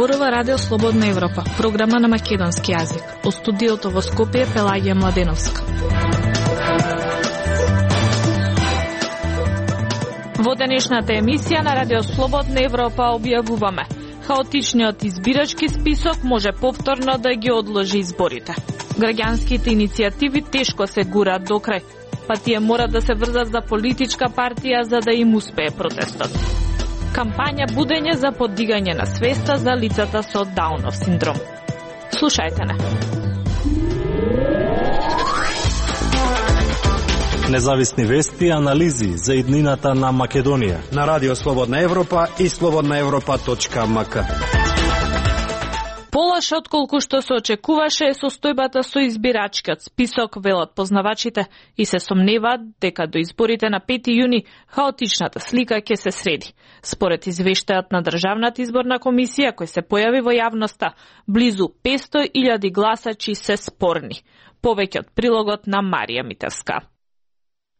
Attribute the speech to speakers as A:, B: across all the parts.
A: Зборува Радио Слободна Европа, програма на македонски јазик. Од студиото во Скопје Пелагија Младеновска. Во денешната емисија на Радио Слободна Европа објавуваме: хаотичниот избирачки список може повторно да ги одложи изборите. Граѓанските иницијативи тешко се гураат до крај, па тие мора да се врзат за политичка партија за да им успее протестот. Кампања будење за поддигање на свеста за лицата со Даунов синдром. Слушајте не.
B: Независни вести и анализи за иднината на Македонија
C: на Радио Слободна Европа и slobodnaevropa.mk.
A: Полоша отколку што се очекуваше е состојбата со избирачкиот список, велат познавачите, и се сомневаат дека до изборите на 5 јуни хаотичната слика ќе се среди. Според извештајот на Државната изборна комисија кој се појави во јавноста, близу 500.000 гласачи се спорни. Повеќе од прилогот на Марија Митевска.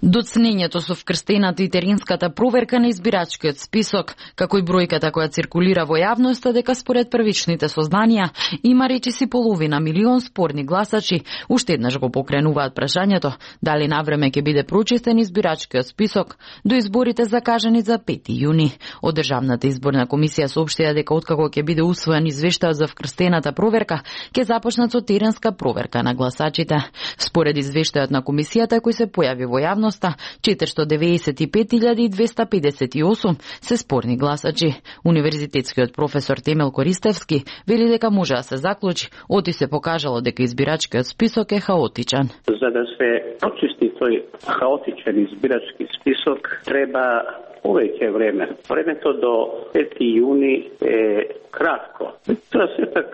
D: Доцнењето со вкрстената и теренската проверка на избирачкиот список, како и бројката која циркулира во јавноста дека според првичните сознанија има речиси 500.000 спорни гласачи, уште еднаш го покренуваат прашањето дали навреме ќе биде прочистен избирачкиот список до изборите закажани за 5 јуни. Од Државната изборна комисија соопштија дека откако ќе биде усвоен извештајот за вкрстената проверка, ќе започнат со теренска проверка на гласачите. Според извештајот на комисијата кој се појави во јавност, 495.258 се спорни гласачи. Универзитетскиот професор Темел Користевски вели дека може да се заклучи оти се покажало дека избирачкиот список е хаотичен.
E: За да се прочисти тој хаотичен избирачки список треба повеќе време. Времето до 5 јуни е кратко. Тоа сепак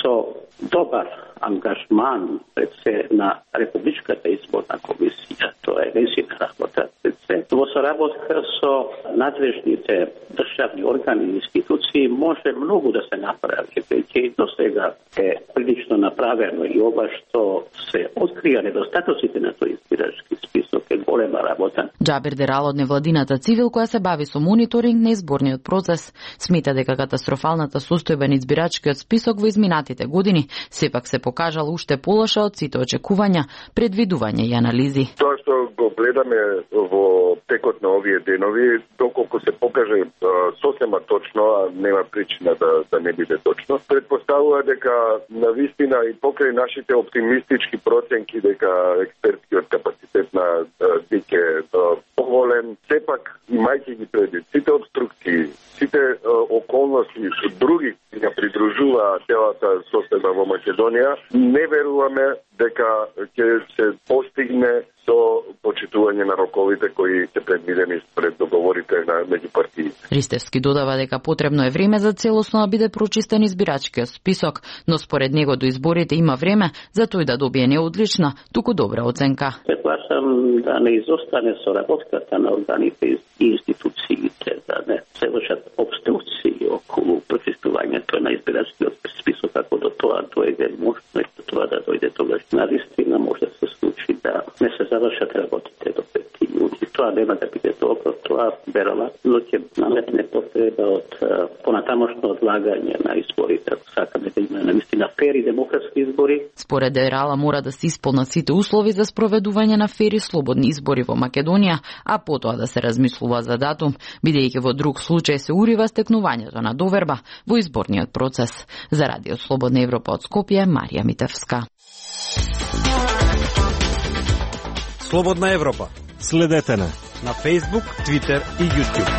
E: со добар ангажман пред се на Републичката изборна комисија. Тоа е незина работа пред се. Во соработка со надлежните државни органи и институции може многу да се направи. Веќе до сега е прилично направено и ова што се открија недостатоците на тој избирачки список е голема работа.
D: Џабир Дерал од невладината цивил која се бави со мониторинг на изборниот процес смета дека катастрофалната состојба на избирачкиот список во изминатите години сепак се покажал уште полоша од сите очекувања, предвидувања и анализи.
F: Тоа што го гледаме во текот на овие денови, доколку се покаже сосема точно, а нема причина да не биде точно, предпоставува дека навистина и покрај нашите оптимистички проценки дека експертскиот капацитет на ДИК е поголем, сепак имајќи ги предвид сите обструкции, сите околности други ја придружува целата состојба во Македонија, не веруваме дека ќе се постигне со почитување на роковите кои се предвидени според договорите на меѓу партиите.
D: Ристевски додава дека потребно е време за целосно да биде прочистен избирачкиот список, но според него до изборите има време за тој да добие не одлична, туку добра оценка.
E: Предлагам да не изостане соработката на органите и институциите, да не се вршат обструкции околу прочистувањето на избирачкиот список, ако до тоа дојде можно и до тоа да дојде тогаш навистина може да се случи да не се завршат работите до 5 јуни. Тоа нема да биде добро, тоа веројатно ќе наметне потреба од понатамошно одлагање на изборите, ако сакаме да има навистина фери демократски избори.
D: Според Дерала мора да се исполнат сите услови за спроведување на фери слободни избори во Македонија, а потоа да се размислува за датум, бидејќи во друг случај се урива стекнувањето на доверба во изборниот процес. За Радио Слободна Европа од Скопје, Марија Митевска.
C: Слободна Европа.
B: Следете на
C: Facebook, Twitter и YouTube.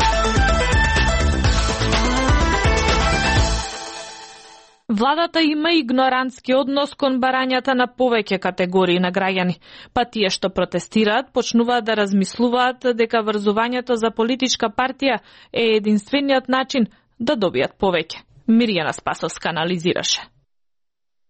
A: Владата има игнорантски однос кон барањата на повеќе категории на граѓани, па тие што протестираат почнуваат да размислуваат дека врзувањето за политичка партија е единствениот начин да добијат повеќе. Мирјана Спасовска анализираше.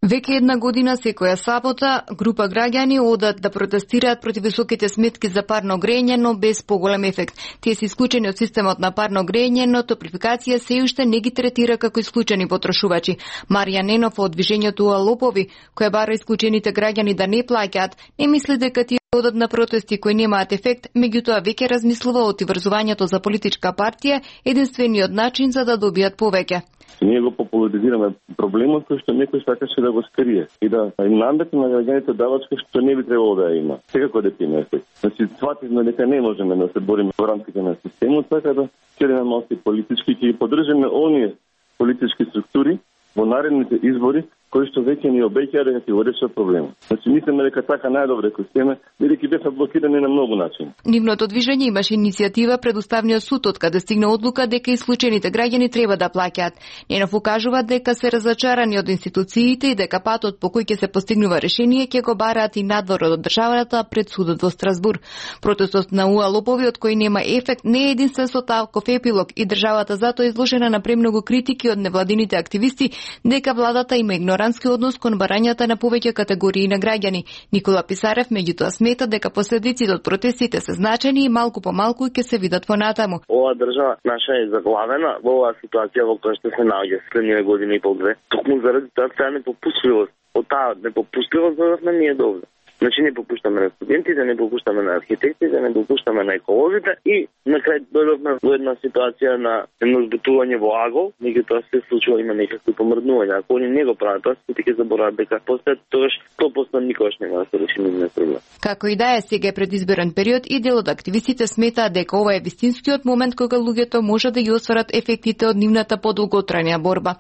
G: Веќе една година секоја сабота група граѓани одат да протестираат против високите сметки за парно грење, но без поголем ефект. Тие се исклучени од системот на парно грење, но Топлификација се уште не ги третира како исклучени потрошувачи. Марија Ненов од движењето Лопови, која бара исклучените граѓани да не плаќаат, не мисли дека тие одат на протести кои немаат ефект, меѓутоа веќе размислува оти врзувањето за политичка партија единствениот начин за да добијат повеќе.
F: Ние го популяризираме проблемот кој што некој сакаше да го скрие и да им наметне на граѓаните давачка што не би требало да ја има. Секако дека има ефект. Значи, свативме дека не можеме да се бориме во рамките на системот, така да ќе малку политички ќе поддржиме оние политички структури во наредните избори кои што веќе ни обеќаа дека ќе го решат проблемот. Значи, мислиме дека така најдобро дека сме, бидејќи беа блокирани на многу начини.
G: Нивното движење имаше иницијатива пред Уставниот суд, од каде стигна одлука дека исклучените граѓани треба да плаќаат. Ненов укажува дека се разочарани од институциите и дека патот по кој ќе се постигнува решение ќе го бараат и надвор од државата пред судот во Страсбур. Протестот на УА лопови од кој нема ефект не е единствен со таков епилог и државата затоа изложена на премногу критики од невладините активисти дека владата има игнорански однос кон барањата на повеќе категории на граѓани. Никола Писарев меѓутоа смета дека последиците од протестите се значени и малку по малку ќе се видат понатаму.
H: Ова држава наша е заглавена во оваа ситуација во која што се наоѓа следниве години и пол две. Токму заради таа непопустливост. Од таа непопустливост дојдовме ние до овде. Значи не попуштаме на студентите, не попуштаме на архитектите, не попуштаме на еколозите и на крај дојдовме во една ситуација на едно збутување во агол, меѓутоа се случува има некакви помрднувања. Ако они не го прават тоа, сите ќе заборават дека после тогаш 100% никогаш нема да се реши нивниот проблем.
G: Како и да е, сега е предизборен период и дел од активистите сметаат дека ова е вистинскиот момент кога луѓето може да ги остварат ефектите од нивната подолготрајна борба.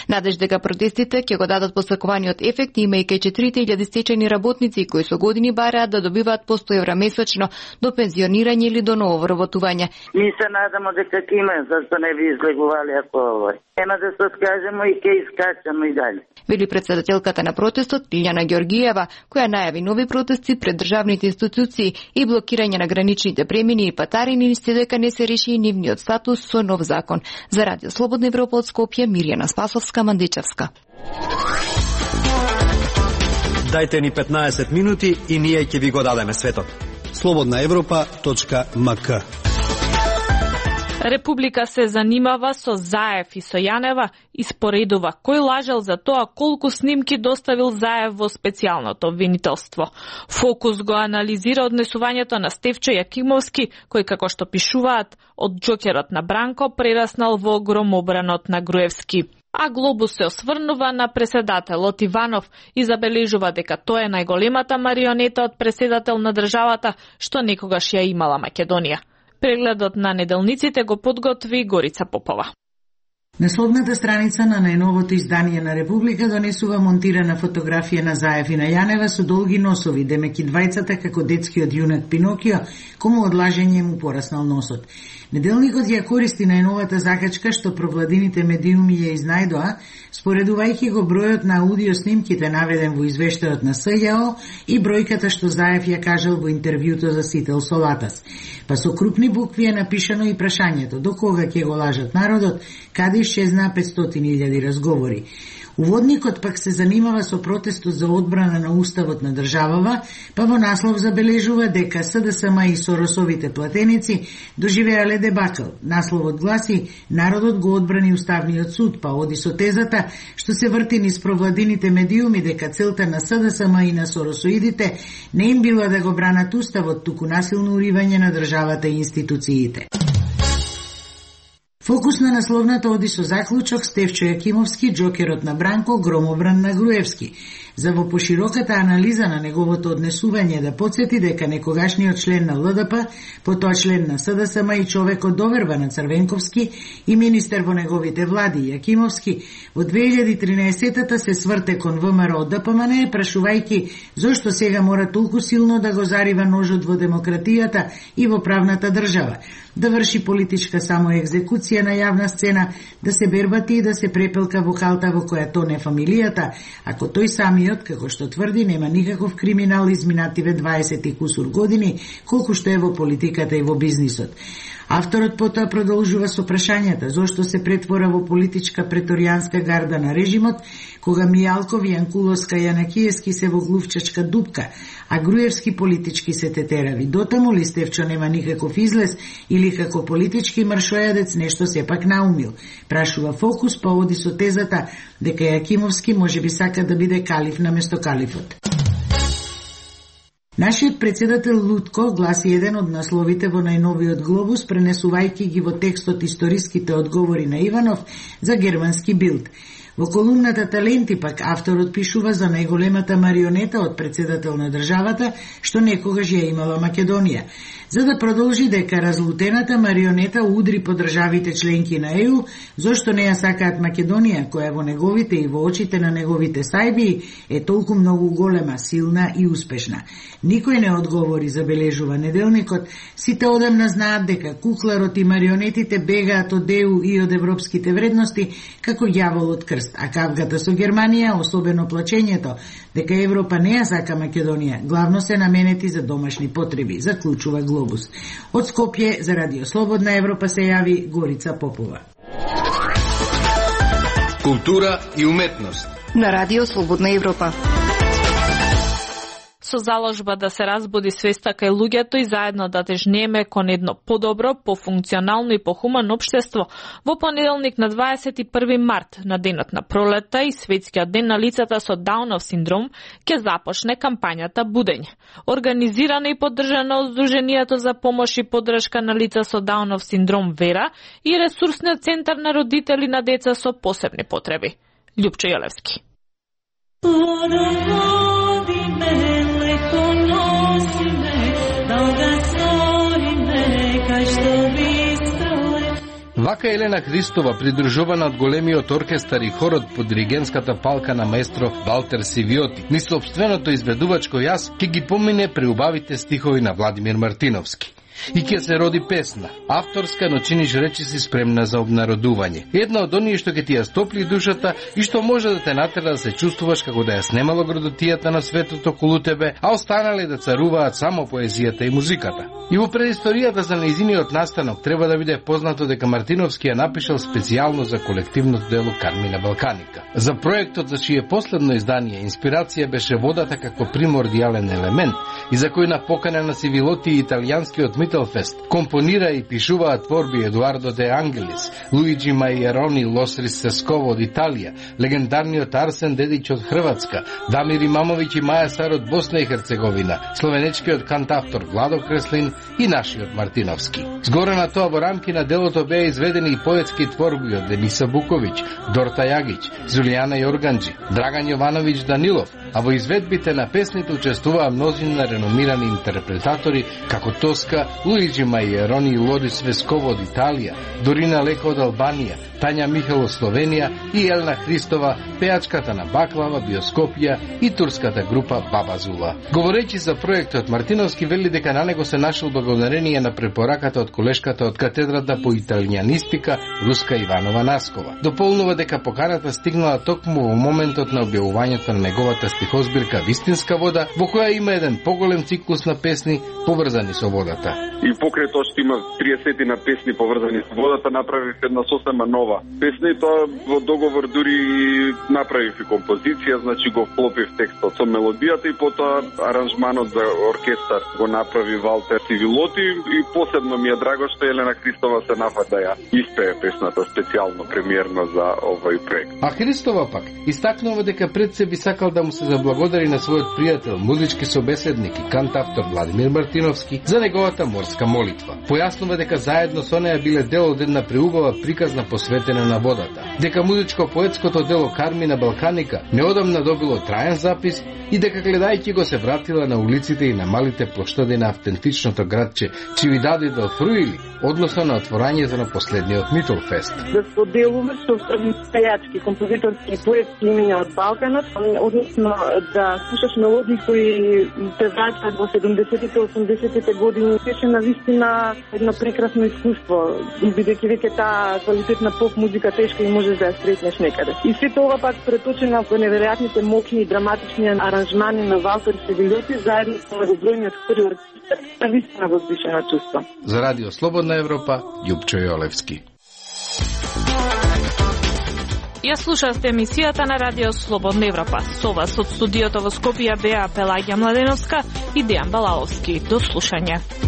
G: Надеж дека протестите ќе го дадат посакуваниот ефект, имајќи 4000 стечени работници кои со години бараат да добиваат по 100 евра месечно до пензионирање или до ново вработување.
I: Ми се надамо дека ќе има, зашто не би излегували ако овој. Ема да се скажемо и ќе искачаме и дали.
G: Вели председателката на протестот Лиљана Ѓоргиева, која најави нови протести пред државните институции и блокирање на граничните премини и патарини, се дека не се реши и нивниот статус со нов закон. За Радио Слободна Европа од Скопје, Мирјана Спасовска, Мандичевска.
C: Дајте ни 15 минути и ние ќе ви го дадеме светот. slobodnaevropa.mk.
A: Република се занимава со Заев и со Јанева и споредува кој лажел за тоа колку снимки доставил Заев во специјалното обвинителство. Фокус го анализира однесувањето на Стефчо Јакимовски, кој, како што пишуваат, од џокерот на Бранко прераснал во громобранот на Груевски. А Глобус се осврнува на преседателот Иванов и забележува дека тоа е најголемата марионета од преседател на државата што некогаш ја имала Македонија. Прегледот на неделниците го подготви Горица Попова.
J: Насловната страница на најновото издание на Република донесува монтирана фотографија на Заев и на Јанева со долги носови, демеки двајцата како детскиот јунак Пинокио, кому од лажење му пораснал носот. Неделникот ја користи најновата закачка што провладините медиуми ја изнајдоа, споредувајќи го бројот на аудио снимките наведен во извештајот на СЈО и бројката што Заев ја кажал во интервјуто за Сител Солатас. Па со крупни букви е напишано и прашањето: до кога ќе го лажат народот, каде исчезна 500.000 разговори. Уводникот пак се занимава со протестот за одбрана на уставот на државава, па во наслов забележува дека СДСМ и Соросовите платеници доживеале дебакл. Насловот гласи: народот го одбрани уставниот суд, па оди со тезата што се врти низ провладините медиуми дека целта на СДСМ и на Соросоидите не им била да го бранат уставот, туку насилно уривање на државата и институциите. Фокус на насловната оди со заклучок: Стефчо Јакимовски, џокерот на Бранко, громобран на Груевски. За во пошироката анализа на неговото однесување да подсети дека некогашниот член на ЛДП, потоа член на СДСМ и човекот доверба на Црвенковски и министер во неговите влади Јакимовски, во 2013-та се сврте кон ВМРО ДПМН, прашувајќи зошто сега мора толку силно да го зарива ножот во демократијата и во правната држава, да врши политичка самоекзекуција на јавна сцена, да се бербати и да се препелка во халта во која тоне фамилијата, ако тој самиот, како што тврди, нема никаков криминал изминативе 20 и кусур години, колку што е во политиката и во бизнисот. Авторот потоа продолжува со прашањата зошто се претвора во политичка преторијанска гарда на режимот, кога Мијалков, Јанкуловска и Јанакиевски се во глувчачка дупка, а Груевски политички се тетерави. Дотаму ли Стефчо нема никаков излез или како политички маршојадец нешто сепак наумил? Прашува Фокус, па оди со тезата дека Јакимовски може би сака да биде калиф наместо калифот. Нашиот председател Лутко, гласи еден од насловите во најновиот глобус, пренесувајќи ги во текстот историските одговори на Иванов за германски Билд. Во колумната Таленти пак авторот пишува за најголемата марионета од председател на државата што некогаш ја имала Македонија. За да продолжи дека разлутената марионета удри по државите членки на ЕУ, зошто не ја сакаат Македонија, која во неговите и во очите на неговите сајби е толку многу голема, силна и успешна. Никој не одговори, забележува неделникот. Сите одамна знаат дека кукларот и марионетите бегаат од ЕУ и од европските вредности како ѓавол од крст, а кавгата со Германија, особено плачењето дека Европа не ја сака Македонија, главно се наменети за домашни потреби, заклучува Глобус. Од Скопје за Радио Слободна Европа се јави Горица Попова.
K: Култура и уметност
G: на Радио Слободна Европа.
A: Со заложба да се разбуди свеста кај луѓето и заедно да тежнееме кон едно подобро, пофункционално и похумано општество, во понеделник на 21 март, на денот на пролета и светскиот ден на лицата со Даунов синдром, ќе започне кампањата Будење. Организирана и поддржана од Сдруженијето за помош и поддршка на лица со Даунов синдром Вера и ресурсниот центар на родители на деца со посебни потреби. Љупчо Јолевски.
K: Вака Елена Христова, придружувана од големиот оркестар и хорот под диригентската палка на маестро Валтер Сивиоти, ни сопственото изведувачко јас ќе ги помине преубавите стихови на Владимир Мартиновски. И ќе се роди песна, авторска, но чиниш речиси спремна за обнародување. Една од оние што ќе ти ја стопли душата и што може да те натера да се чувствуваш како да ја снемало градотијата на светот околу тебе, а останале да царуваат само поезијата и музиката. И во предисторијата за нејзиниот настанок треба да биде познато дека Мартиновски ја напишал специјално за колективното дело Кармина Балканика. За проектот за чие последно издание инспирација беше водата како примордијален елемент и за кој на покана на Сивилоти и италијанскиот Мителфест компонира и пишуваа творби Едуардо де Ангелис, Луиджи Мајерони Лосрис Сесково од Италија, легендарниот Арсен Дедич од Хрватска, Дамир Имамовиќ и Маја Сар од Босна и Херцеговина, словенечкиот кантавтор Владо Креслин и нашиот Мартиновски. Згоре на тоа во рамки на делото беа изведени и поетски творби од Дениса Буковиќ, Дорта Јагиќ, Зулијана Јорганџи, Драган Јовановиќ Данилов, а во изведбите на песните учествуваа мнозина реномирани интерпретатори како Тоска, Луиджи Мајерони и Лорис Весково од Италија, Дорина Леко од Албанија, Тања Михел од Словенија и Елна Христова, пеачката на Баклава, Биоскопија и турската група Баба Зула. Говорејќи за проектот, Мартиновски вели дека на него се нашол благодарение на препораката од колешката од катедрата по италијанистика Руска Иванова Наскова. Дополнува дека поканата стигнала токму во моментот на објавувањето на неговата стихозбирка Вистинска вода, во која има еден поголем циклус на песни поврзани со водата.
F: И покрај тоа што има 30 на песни поврзани со водата, направив една сосема нова песна и тоа во договор дури направив и композиција, значи го вклопив текстот со мелодијата и потоа аранжманот за оркестар го направи Валтер Сивилоти и посебно ми е драго што Елена Христова се нафати да ја испее песната специјално премиерно за овој проект.
K: А Христова пак истакнува дека пред се би сакал да му се заблагодари на својот пријател, музички собеседник и кантавтор Владимир Мартиновски за неговата морска молитва. Појаснува дека заедно со неја биле дел од една преубава приказна посветена на водата. Дека музичко-поетското дело Кармина Балканика неодамна добило траен запис и дека гледајќи го се вратила на улиците и на малите плоштади на автентичното градче Чивидади дел Фруили, односно на отворањето на последниот Мителфест.
L: Да споделуваш со пејачки, композиторски и поетски имиња од Балканот, односно да слушаш мелодии кои те враќаат во 70-тите, 80-тите години, беше навистина едно прекрасно искуство, бидејќи веќе таа квалитетна поп музика тешко и можеш да ја сретнеш некаде. И се тоа пак преточено во неверојатните мокни и драматични аранжмани на Валтер Сивилоти заедно со многобројниот хор и оркестар. Навистина возвишено чувство.
K: За Радио Слободна Европа, Љупчо Јолевски.
A: Ја слушавте емисијата на Радио Слободна Европа. Со вас од студиото во Скопје беа Пелагија Младеновска и Дејан Балаловски. До слушање.